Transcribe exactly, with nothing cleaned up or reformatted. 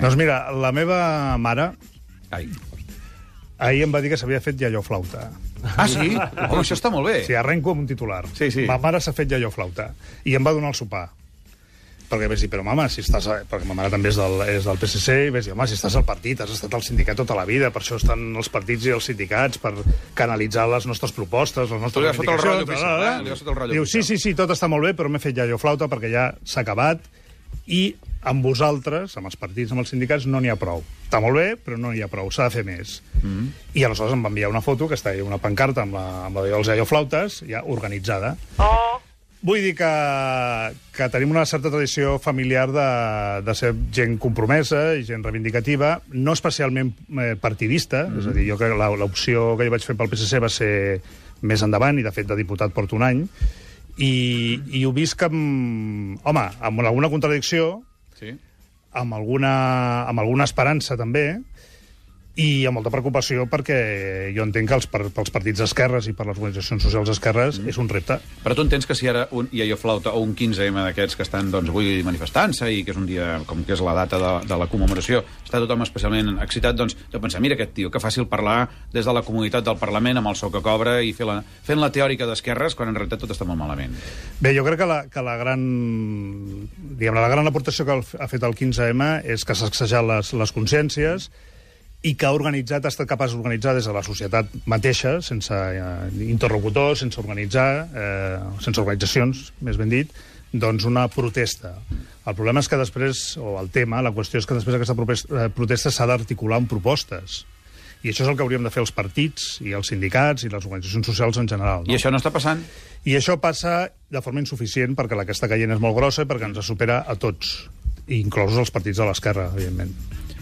Doncs mira, la meva mare Ai. ahir em va dir que s'havia fet iaio flauta. Ah, sí? Home, això està molt bé. Sí, arrenco amb un titular. Sí, sí. Ma mare s'ha fet iaio flauta. I em va donar el sopar. Perquè vaig dir, però mama, si estàs... A... Perquè ma mare també és del, és del P S C, i vaig dir, home, si estàs al partit, has estat al sindicat tota la vida, per això estan els partits i els sindicats, per canalitzar les nostres propostes, les nostres Tu li has fot el rotllo reivindicacions... oficial, eh? Li has fot el rotllo Diu, sí, oficial. sí, sí, tot està molt bé, però m'he fet iaio flauta perquè ja s'ha acabat, i amb vosaltres, amb els partits, amb els sindicats, no n'hi ha prou. Està molt bé, però no n'hi ha prou, s'ha de fer més. Mm -hmm. I aleshores em va enviar una foto, que està ahí, una pancarta amb la, amb la dels iaio flautes, ja organitzada. Oh. Vull dir que, que tenim una certa tradició familiar de, de ser gent compromesa i gent reivindicativa, no especialment eh, partidista, mm -hmm. és a dir, jo crec que l'opció que jo vaig fer pel P S C va ser més endavant, i de fet de diputat porto un any, i, i ho visc amb, home, amb alguna contradicció, Sí. amb alguna, amb alguna esperança també, i amb molta preocupació perquè jo entenc que els, per, pels partits d'esquerres i per les organitzacions socials d'esquerres mm. és un repte. Però tu entens que si ara un iaio flauta o un quinze eme d'aquests que estan, doncs, avui manifestant-se i que és un dia, com que és la data de, de la commemoració, està tothom especialment excitat, doncs, de pensar, mira aquest tio, que fàcil parlar des de la comunitat del Parlament amb el sou que cobra i fer la, fent la teòrica d'esquerres quan en realitat tot està molt malament. Bé, jo crec que la, que la gran diguem, la gran aportació que ha fet el quinze eme és que s'ha sacsejat les, les consciències i que ha organitzat, ha estat capaç d'organitzar des de la societat mateixa, sense eh, interlocutors, sense organitzar, eh, sense organitzacions, més ben dit, doncs una protesta. El problema és que després, o el tema, la qüestió és que després aquesta protesta s'ha d'articular amb propostes. I això és el que hauríem de fer els partits, i els sindicats, i les organitzacions socials en general. No? I això no està passant? I això passa de forma insuficient, perquè la que està caient és molt grossa i perquè ens supera a tots, inclosos els partits de l'esquerra, evidentment.